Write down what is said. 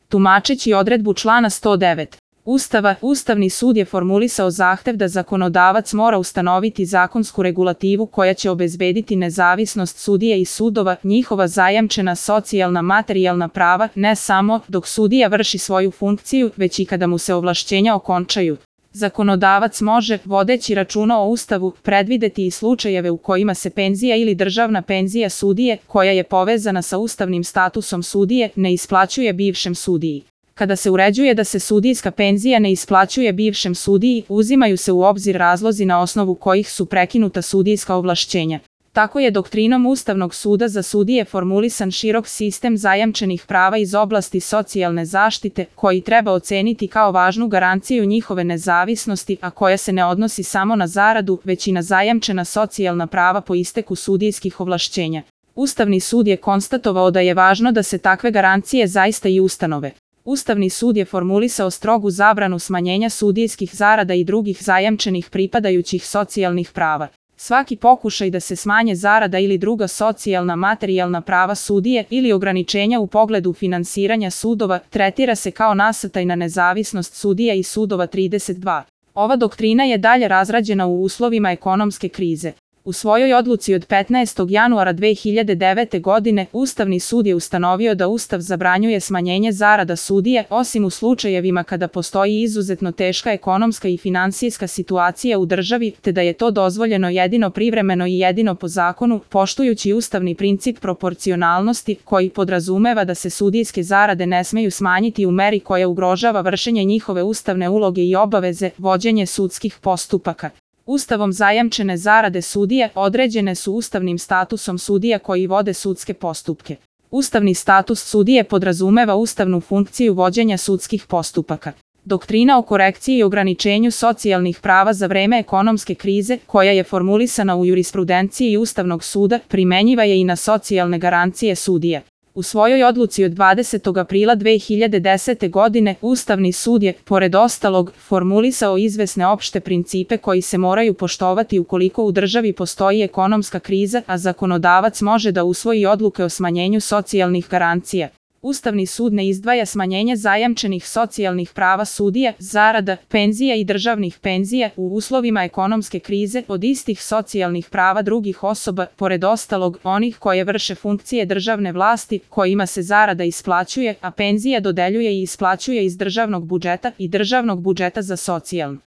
Tumačeći odredbu člana 109. Ustava, Ustavni sud je formulisao zahtev da zakonodavac mora ustanoviti zakonsku regulativu koja će obezbediti nezavisnost sudije i sudova, njihova zajamčena socijalna materijalna prava, ne samo dok sudija vrši svoju funkciju, već i kada mu se ovlašćenja okončaju. Zakonodavac može, vodeći računa o Ustavu, predvideti i slučajeve u kojima se penzija ili državna penzija sudije, koja je povezana sa ustavnim statusom sudije, ne isplaćuje bivšem sudiji. Kada se uređuje da se sudijska penzija ne isplaćuje bivšem sudiji, uzimaju se u obzir razlozi na osnovu kojih su prekinuta sudijska ovlašćenja. Tako je doktrinom Ustavnog suda za sudije formulisan širok sistem zajamčenih prava iz oblasti socijalne zaštite, koji treba oceniti kao važnu garanciju njihove nezavisnosti, a koja se ne odnosi samo na zaradu, već i na zajamčena socijalna prava po isteku sudijskih ovlašćenja. Ustavni sud je konstatovao da je važno da se takve garancije zaista i ustanove. Ustavni sud je formulisao strogu zabranu smanjenja sudijskih zarada i drugih zajamčenih pripadajućih socijalnih prava. Svaki pokušaj da se smanje zarada ili druga socijalna materijalna prava sudije ili ograničenja u pogledu finansiranja sudova tretira se kao nasrtaj na nezavisnost sudija i sudova. 32. Ova doktrina je dalje razrađena u uslovima ekonomske krize. U svojoj odluci od 15. januara 2009. godine Ustavni sud je ustanovio da Ustav zabranjuje smanjenje zarada sudije, osim u slučajevima kada postoji izuzetno teška ekonomska i finansijska situacija u državi, te da je to dozvoljeno jedino privremeno i jedino po zakonu, poštujući ustavni princip proporcionalnosti, koji podrazumeva da se sudijske zarade ne smeju smanjiti u meri koja ugrožava vršenje njihove ustavne uloge i obaveze, vođenje sudskih postupaka. Ustavom zajamčene zarade sudije određene su ustavnim statusom sudija koji vode sudske postupke. Ustavni status sudije podrazumeva ustavnu funkciju vođenja sudskih postupaka. Doktrina o korekciji i ograničenju socijalnih prava za vreme ekonomske krize, koja je formulisana u jurisprudenciji Ustavnog suda, primenjiva je i na socijalne garancije sudija. U svojoj odluci od 20. aprila 2010. godine Ustavni sud je, pored ostalog, formulisao izvesne opšte principe koji se moraju poštovati ukoliko u državi postoji ekonomska kriza, a zakonodavac može da usvoji odluke o smanjenju socijalnih garancija. Ustavni sud ne izdvaja smanjenje zajamčenih socijalnih prava sudija, zarada, penzija i državnih penzija u uslovima ekonomske krize od istih socijalnih prava drugih osoba, pored ostalog, onih koje vrše funkcije državne vlasti, kojima se zarada isplaćuje, a penzija dodeljuje i isplaćuje iz državnog budžeta i državnog budžeta za socijalno.